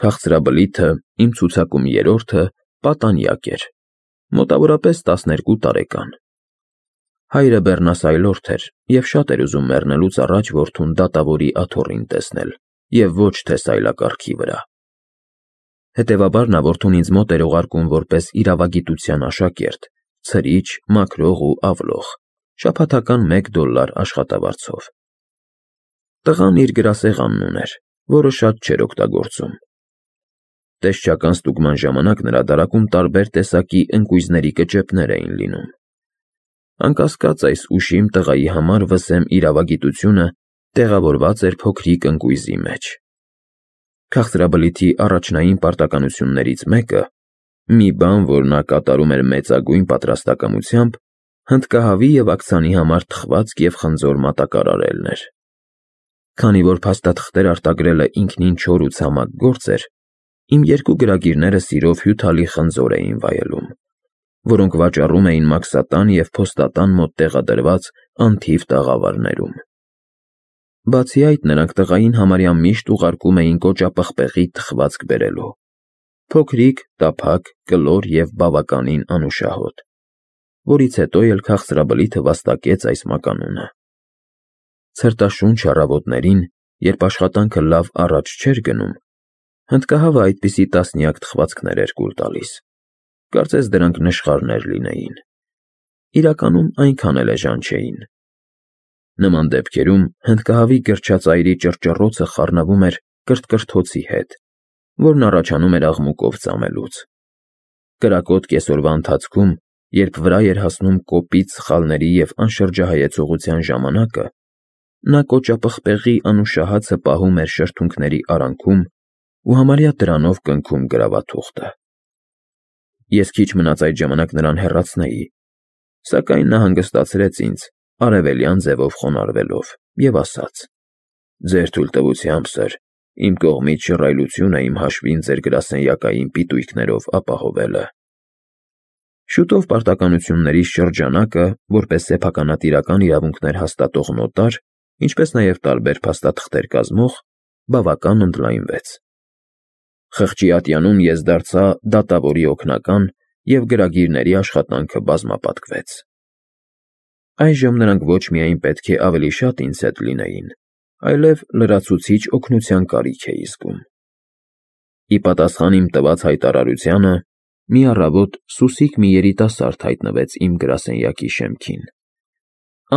Քաղցրաբլիթը, իմ ցուցակում երրորդը, պատանյակ էր, մոտավորապես 12 տարեկան։ Հայրը բեռնասայլորդ էր և շատ էր ուզում մեռնելուց առաջ որդուն դատավորի աթոռին տեսնել և ոչ թե սայլակառքի վրա։ Հետևաբար նա որդուն ինձ մոտ էր ուղարկում որպես իրավագիտության աշակերտ, ցրիչ, մաքրող ու ավլող, շաբաթական $1 աշխատավարձով։ Տղան իր գրասեղանն ուներ, որը շատ չէր օգտագործում։ Տեսչական ստուգման ժամանակ նրա դարակում տարբեր տեսակի ընկույզների կճեպներ էին լինում։ Անկասկած, այս ուշիմ տղայի համար վսեմ իրավագիտությունը տեղավորված էր փոքրիկ ընկույզի մեջ։ Քաղցրաբլիթի առաջնային պարտականություններից մեկը, մի բան, որ նա կատարում էր մեծագույն պատրաստակամությամբ, հնդկահավի և աքցանի համար թխվածք և խնձոր մատակարարելն էր։ Քանի որ փաստաթղթեր արտագրելը ինքնին չոր ու ցամաք գործ էր, իմ երկու գրագիրները սիրով հյութալի խնձոր էին վայելում, որոնք վաճառում էին մաքսատան և փոստատան մոտ տեղադրված անթիվ տաղավարներում։ Բացի այդ, նրանք տղային համարյա միշտ ուղարկում էին կոճապղպեղի թխվածք բերելու, փոքրիկ, տափակ, կլոր և բավականին անուշահոտ, որից հետո էլ քաղցրաբլիթը վաստակեց այս մականունը։ Ցրտաշունչ առավոտներին, երբ աշխատանքը լավ առաջ չէր գնում, հնդկահավը այդպիսի տասնյակ թխվածքներ էր կուլ տալիս, կարծես դրանք նշխարներ լինեին։ Իրականում այնքան էլ էժան չէին։ Նման դեպքերում հնդկահավի գրչածայրի ճռճռոցը խառնվում էր կրթկրթոցի հետ, որն առաջանում էր աղմուկով ծամելուց։ Կրակոտ կեսօրվա ընթացքում, երբ վրա էր հասնում կոպիտ սխալների և անշրջահայեցողության ժամանակը, նա կոճապղպեղի անուշահացը պահում էր շրթունքների արանքում ու համարյա դրանով կնքում գրավաթուղթը։ Ես քիչ մնաց այդ ժամանակ նրան հեռացնեի, սակայն նա հանգստացրեց ինձ, արևելյան ձևով խոնարհվելով, և ասաց. «Ձեր թույլտվությամբ, սըր, իմ կողմից շռայլություն է իմ հաշվին ձեր գրասենյակային պիտույքներով ապահովելը»։ Շուտով պարտականությունների շրջանակը, որպես սեփականատիրական իրավունքներ հաստատող նոտար, ինչպես նաև տարբեր փաստաթղթեր կազմող, բավական ընդլայնվեց։ Խղճի ատյանում ես դարձա դատավորի օգնական և գրագիրների աշխատանքը բազմապատկվեց։ Այժմ նրանք ոչ միայն պետք է ավելի շատ ինձ հետ լինեին, այլև լրացուցիչ օգնության կարիք էի զգում։ Ի պատասխան իմ տված հայտարարությանը, մի առավոտ սուսիկ մի երիտասարդ հայտնվեց իմ գրասենյակի շեմքին։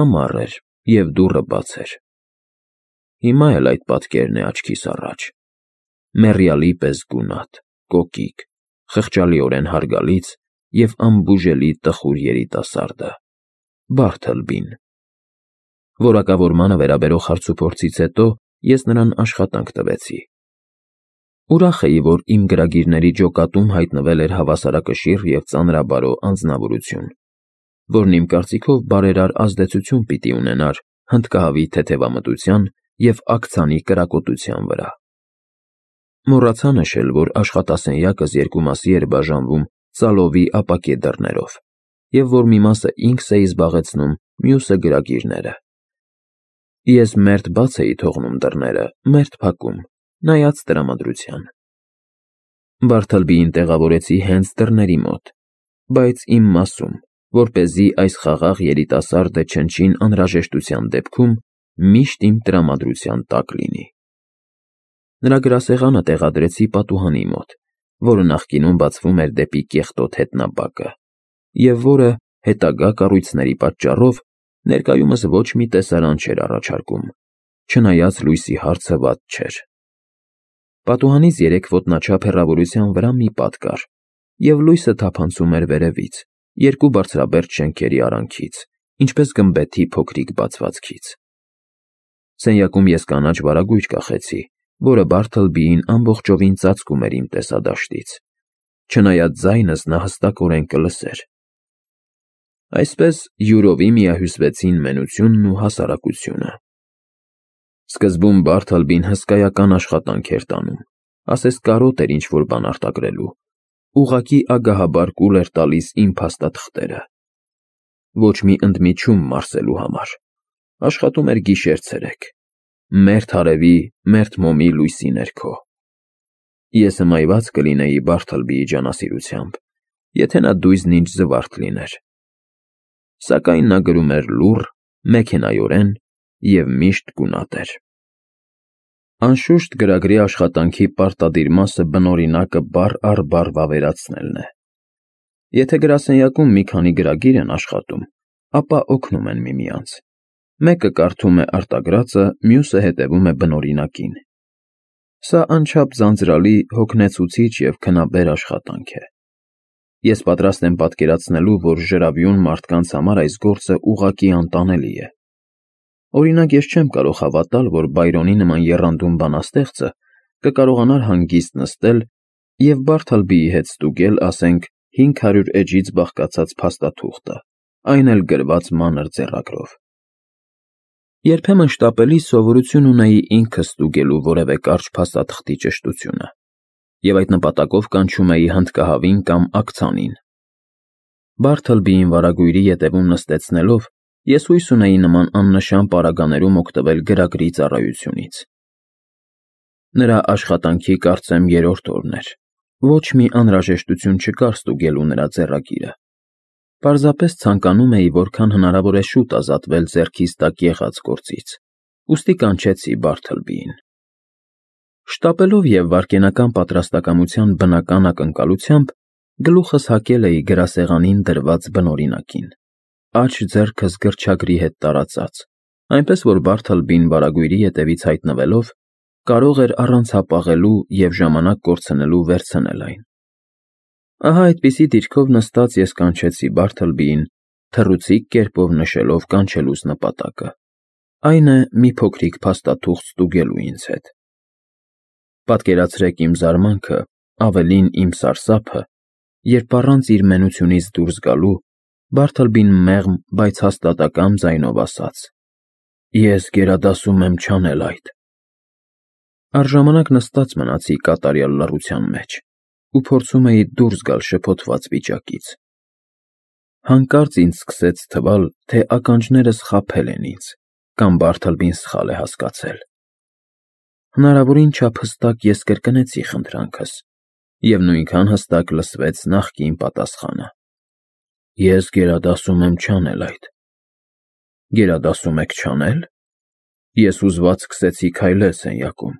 Ամառ էր, և դուռը բաց էր։ Հիմա էլ այդ պատկերն է աչքիս առաջ. մեռյալի պես գունատ, կոկիկ, խղճալիորեն հարգալից և անբուժելի տխուր երիտասարդը՝ Բարթլբին։ Որակավորմանը վերաբերող հարցուփորձից հետո ես նրան աշխատանք տվեցի։ Ուրախ էի, որ իմ գրագիրների ջոկատում հայտնվել էր հավասարակշիռ և ծանրաբարո անձնավորություն, որն իմ կարծիքով բարերար ազդեցություն պիտի ունենար հնդկահավի թեթևամտության և աքցանի կրակոտության վրա։ Մոռացա նշել, որ աշխատասենյակս երկու մասի էր բաժանվում ծալովի ապակե դռներով, և որ մի մասը ինքս էի զբաղեցնում, մյուսը գրագիրները։ Ես մերթ բաց էի թողնում դռները, մերթ փակում, նայած տրամադրության։ Բարթլբիին տեղավորեցի հենց դռների մոտ, բայց իմ մասում, որպեսզի այս խաղաղ երիտասարդը չնչին անհրաժեշտության դեպքում միշտ իմ տրամադրության տակ լինի։ Նրա գրասեղանը տեղադրեցի պատուհանի մոտ, որը նախկինում բացվում էր դեպի կեղտոտ հետնաբակը, և որը, հետագա կառույցների պատճառով, ներկայումս ոչ մի տեսարան չէր առաջարկում, չնայած լույսի հարցը վատ չէր։ Պատուհանից 3 ոտնաչափ հեռավորության վրա մի պատ կար, և լույսը թափանցում էր վերևից, երկու բարձրաբերդ շենքերի արանքից, ինչպես գմբեթի փոքրիկ բացվածքից։ Սենյակում ես կանաչ վարագույր կախեցի, որը Բարթլբիին ամբողջովին ծածկում էր իմ տեսադաշտից, չնայած ձայնս նա հստակորեն կլսեր։ Այսպես յուրովի միահյուսվեցին մենությունն ու հասարակությունը։ Սկզբում Բարթլբին հսկայական աշխատանք էր տանում, ասես կարոտ էր ինչ-որ բան արտագրելու, ուղղակի ագահաբար կուլ էր տալիս իմ փաստաթղթերը։ Ոչ մի ընդմիջում մարսելու համար, աշխատում էր գիշեր ցերեկ, մերթ հարևի, մերթ մոմի լույսի ներքո։ Ես հմայված կլինեի Բարթլբիի ջանասիրությամբ, եթե նա դույզն ինձ զվարթ լիներ։ Սակայն նա գրում էր լուռ, մեքենայորեն և միշտ գունատ էր։ Անշուշտ գրագրի աշխատանքի պարտադիր մասը բնօրինակը բառ առ բառ վավերացնելն է։ Եթե գրասենյակում մի քանի գրագիր են աշխատում, ապա օգնում են միմյանց։ Մեկը կարդում է արտագրածը, մյուսը հետևում է բնօրինակին։ Սա անչափ ձանձրալի, հոգնեցուցիչ և քնաբեր աշխատանք է։ Ես պատրաստ եմ պատկերացնելու, որ ժրավյուն մարդկանց համար այս գործը ուղղակի անտանելի է։ Օրինակ, ես չեմ կարող հավատալ, որ Բայրոնի նման եռանդուն բանաստեղծը կկարողանար հանգիստ նստել և Բարթլբիի հետ ստուգել, ասենք, 500 էջից բաղկացած փաստաթուղթը, այն էլ գրված մանր ձեռագրով։ Երբեմն շտապելիս սովորություն ունեի ինքս ստուգելու որևէ կարճ փաստաթղթի ճշտությունը, և այդ նպատակով կանչում էի հնդկահավին կամ աքցանին։ Բարթլբիին վարագույրի ետևում նստեցնելով, ես հույս ունեի նման աննշան պարագաներում օգտվել գրագրի ծառայությունից։ Նրա աշխատանքի, կարծեմ, երրորդ օրն էր։ Ոչ մի անհրաժեշտություն չկար ստուգելու նրա ձեռագիրը։ Պարզապես ցանկանում էի որքան հնարավոր է շուտ ազատվել ձեռքիս տակ եղած գործից, ուստի կանչեցի Բարթլբիին։ Շտապելով և վայրկենական պատրաստակամության բնական ակնկալությամբ գլուխս հակել էի գրասեղանին դրված բնօրինակին, աջ ձեռքս գրչագրի հետ տարածած, այնպես որ Բարթլբին վարագույրի ետևից հայտնվելով կարող էր առանց հապաղելու և ժամանակ կորցնելու վերցնել այն։ Ահա այդպիսի դիրքով նստած ես կանչեցի Բարթլբիին, թռուցիկ կերպով նշելով կանչելուս նպատակը, այն է մի փոքրիկ փաստաթուղթ ստուգելու ինձ հետ։ Պատկերացրեք իմ զարմանքը, ավելին իմ սարսափը, երբ առանց իր մենությունից դուրս գալու Բարթլբին մեղմ, բայց հաստատակամ ձայնով ասաց. «Ես գերադասում եմ չանել այդ»։ Առժամանակ նստած մնացի կատարյալ լռության մեջ ու փորձում էի դուրս գալ շփոթված վիճակից։ Հանկարծ ինձ սկսեց թվալ, թե ականջներս խաբել են ինձ, կամ Բարթլբին սխալ է հասկացել։ Հնարավորին չափ հստակ ես կրկնեցի խնդրանքս, և նույնքան հստակ լսվեց նախկին պատասխանը. «Ես գերադասում եմ չանել այդ»։ Գերադասում եք չանել։ Ես հուզված սկսեցի քայլել սենյակում։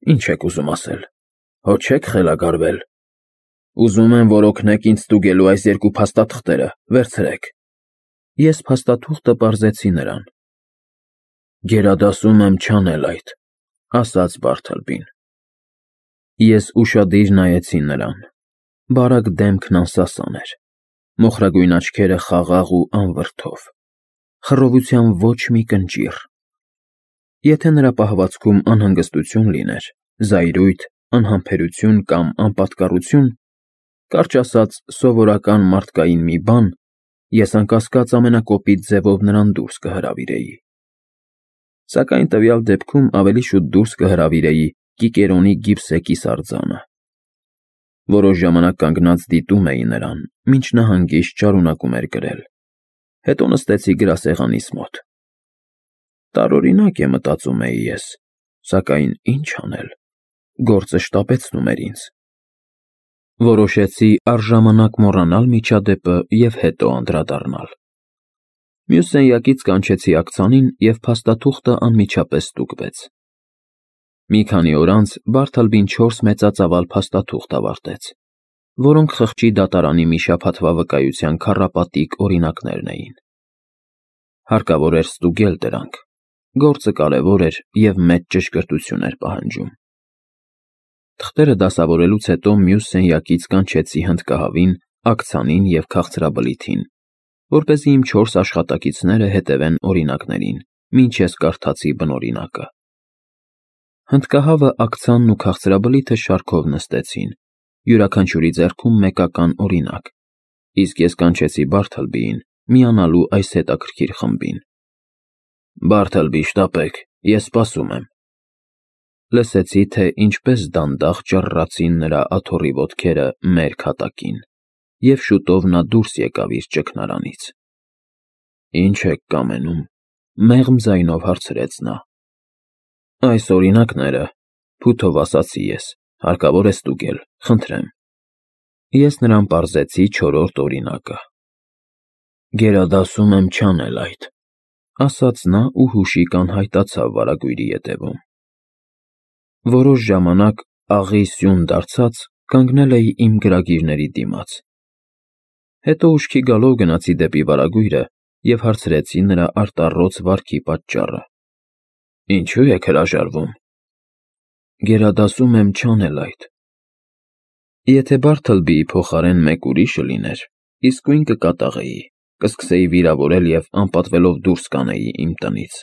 Ինչ եք ուզում ասել, հո չեք խելագարվել։ Ուզում եմ, որ օգնեք ինձ ստուգելու այս երկու փաստաթղթերը, վերցրեք։ Ես փաստաթուղթը պարզեցի նրան։ Գերադասում եմ չանել այդ, ասաց Բարթլբին։ Ես ուշադիր նայեցի նրան։ Բարակ դեմքն անսասան էր, մոխրագույն աչքերը խաղաղ ու անվրդով, խռովության ոչ մի կնճիռ։ Եթե նրա պահվածքում անհանգստություն լիներ, զայրույթ, անհամբերություն կամ անպատկառություն, կարճ ասած, սովորական մարդկային մի բան, ես անկասկած ամենակոպիտ ձևով նրան դուրս կհրավիրեի։ Սակայն տվյալ դեպքում ավելի շուտ դուրս կհրավիրեի Կիկերոնի գիպսեկիս արձանը։ Որոշ ժամանակ կանգնած դիտում էի նրան, մինչ նա հանգիստ շարունակում էր գրել։ Հետո նստեցի գրասեղանիս մոտ։ Տարօրինակ է, մտածում էի ես, սակայն ինչ անել, գործը շտապեցնում էր ինձ։ Որոշեցի առժամանակ մոռանալ միջադեպը և հետո անդրադառնալ։ Մյուս սենյակից կանչեցի աքցանին, և փաստաթուղթը անմիջապես ստուգվեց։ Մի քանի օր անց Բարթլբին 4 մեծածավալ փաստաթուղթ ավարտեց, որոնք խղճի դատարանի մի շաբաթվա վկայության քառապատիկ օրինակներն էին։ Հարկավոր էր ստուգել դրանք։ Գործը կարևոր էր և մեծ ճշգրտություն էր պահանջում։ Թղթերը դասավորելուց հետո մյուս սենյակից կանչեցի հնդկահավին, աքցանին և քաղցրաբլիթին, որպեսզի իմ 4 աշխատակիցները հետևեն օրինակներին, մինչ ես կարդացի բնօրինակը։ Հնդկահավը, աքցանն ու քաղցրաբլիթը շարքով նստեցին, յուրաքանչյուրի ձեռքում մեկական օրինակ, իսկ ես կանչեցի Բարթլբիին, միանալու այս հետաքրքիր խմբին։ Բարթլբի, շտապեք, ես սպասում եմ։ Լսեցի, թե ինչպես դանդաղ ճռռացին նրա աթոռի ոտքերը մեր քատակին, և շուտով նա դուրս եկավ իր ճգնարանից։ Ինչ եք կամենում, մեղմ ձայնով հարցրեց նա։ Այս օրինակները, փութով ասացի ես, Հարկավոր է ստուգել, խնդրեմ։ Ես նրան պարզեցի 4-րդ օրինակը։ Գերադասում եմ չանել այդ, ասաց նա ու հուշիկ անհայտացավ վարագույրի ետևում։ Որոշ ժամանակ աղի սյուն դարձած կանգնել էի իմ գրագիրների դիմաց։ Հետո ուշքի գալով գնացի դեպի վարագույրը և հարցրեցի նրա արտառոց վարքի պատճառը։ Ինչու եք հրաժարվում։ Գերադասում եմ չանել այդ։ Եթե Բարթլբիի փոխարեն մեկ ուրիշը լիներ, իսկույն կկատաղեի, կսկսեի վիրավորել և անպատվելով դուրս կանեի իմ տնից։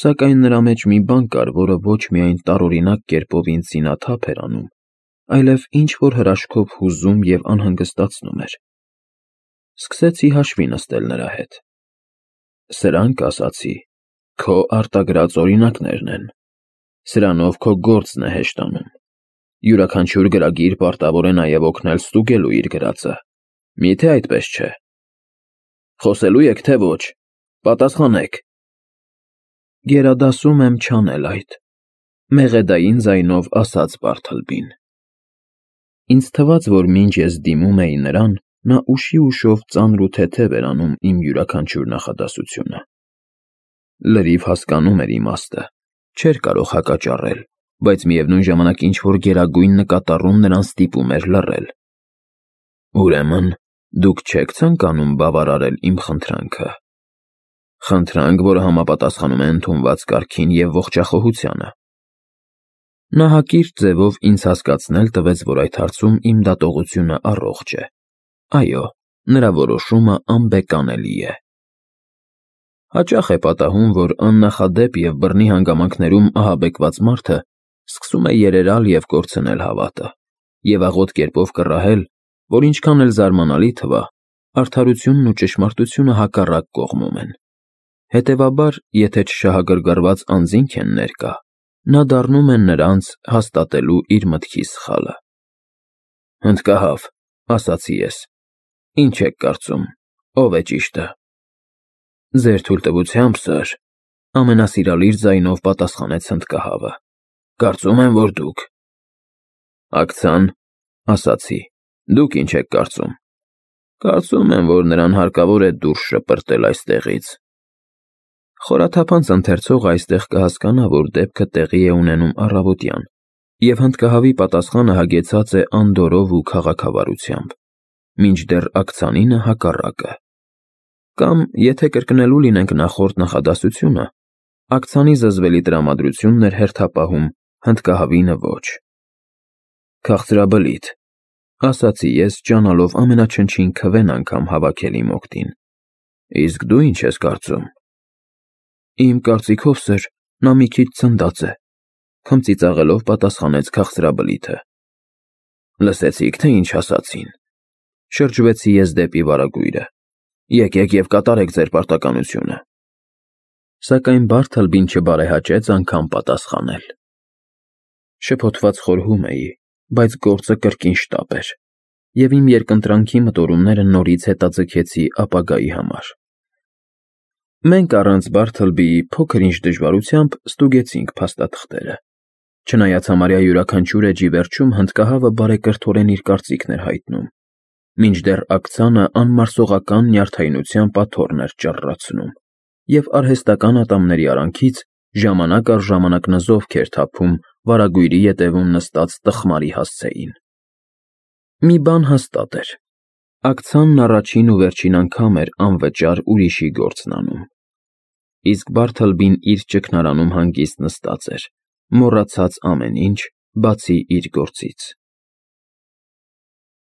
Սակայն նրա մեջ մի բան կար, որը ոչ միայն տարօրինակ կերպով ինձ զինաթափ էր անում, այլև ինչ-որ հրաշքով հուզում և անհանգստացնում էր։ Սկսեցի հաշվի նստել նրա հետ։ Սրանք, ասացի, քո արտագրած օրինակներն են։ Սրանով քո գործն է հեշտանում։ Յուրաքանչյուր գրագիր պարտավոր է նաև օգնել ստուգելու իր գրածը։ Միթե այդպես չէ։ Խոսելու եք, թե ոչ։ Պատասխանեք։ Գերադասում եմ չանել այդ, մեղեդային ձայնով ասաց Բարթլբին։ Ինձ թվաց, որ մինչ ես դիմում էի նրան, նա ուշի ուշով ծանր ու թեթև էր անում իմ յուրաքանչյուր նախադասությունը։ Լրիվ հասկանում էր իմաստը, չէր կարող հակաճառել, բայց միևնույն ժամանակ ինչ-որ գերագույն նկատառում նրան ստիպում էր լռել։ Ուրեմն, դուք չեք ցանկանում բավարարել իմ խնդրանքը։ Խնդրանք, որը համապատասխանում է ընդունված կարգին և ողջախոհությանը։ Նա հակիրճ ձևով ինձ հասկացնել տվեց, որ այդ հարցում իմ դատողությունը առողջ է։ Այո, նրա որոշումը անբեկանելի է։ Հաճախ է պատահում, որ աննախադեպ և բռնի հանգամանքներում ահաբեկված մարդը սկսում է երերալ և կորցնել հավատը, և աղոտ կերպով կռահել, որ ինչքան էլ զարմանալի թվա, արդարությունն ու ճշմարտությունը հակառակ կողմում են։ Հետևաբար, եթե չշահագրգռված անձինք են ներկա, նա դառնում է նրանց հաստատելու իր մտքի սխալը։ Հնդկահավ, ասացի ես, ինչ եք կարծում, ով է ճիշտը։ Ձեր թույլտվությամբ, սըր, ամենասիրալիր ձայնով պատասխանեց հնդկահավը։ Կարծում եմ, որ դուք։ Ակցան, ասացի, դուք ինչ եք կարծում։ Կարծում եմ, որ նրան հարկավոր է դուրս շպրտել այստեղից։ Խորաթափանց ընթերցողը այստեղ կհասկանա, որ դեպքը տեղի է ունենում առավոտյան, և հնդկահավի պատասխանը հագեցած է անդորրով ու քաղաքավարությամբ, մինչդեռ ակցանինը հակառակը։ Կամ, եթե կրկնելու լինենք նախորդ նախադասությունը, ակցանի զզվելի տրամադրությունն էր հերթապահում, հնդկահավինը ոչ։ Քաղցրաբլիթ, ասացի ես, ջանալով ամենաչնչին քվեն անգամ հավաքել իմ օգտին։ Իսկ դու ինչ ես կարծում։ Իմ կարծիքով, սըր, նա մի քիչ ցնդած է, քմծիծաղելով պատասխանեց քաղցրաբլիթը։ Լսեցի՞ք, թե ինչ ասացին։ Շրջվեցի ես դեպի վարագույրը։ Եկեք և կատարեք ձեր պարտականությունը։ Սակայն Բարթլբին չբարեհաճեց անգամ պատասխանել։ Շփոթված խորհում էի, բայց գործը կրկին շտապ էր, և իմ երկընտրանքի մտորումները նորից հետաձգեցի ապագայի համար։ Մենք առանց Բարթլբիի փոքր-ինչ դժվարությամբ ստուգեցինք փաստաթղթերը։ Չնայած համարյա յուրաքանչյուր էջի վերջում հնդկահավը բարեկրթորեն իր կարծիքն էր հայտնում, մինչդեռ ակցանը անմարսողական նյարդայնությամբ աթոռն էր ճռռացնում, և արհեստական ատամների արանքից ժամանակ առ ժամանակ նզովք էր թափում վարագույրի ետևում նստած տխմարի հասցեին։ Մի բան հաստատ էր. ակցանն առաջին ու վերջին անգամ էր անվճար ուրիշի գործն անում։ Իսկ Բարթլբին իր ճգնարանում հանգիստ նստած էր, մոռացած ամեն ինչ, բացի իր գործից։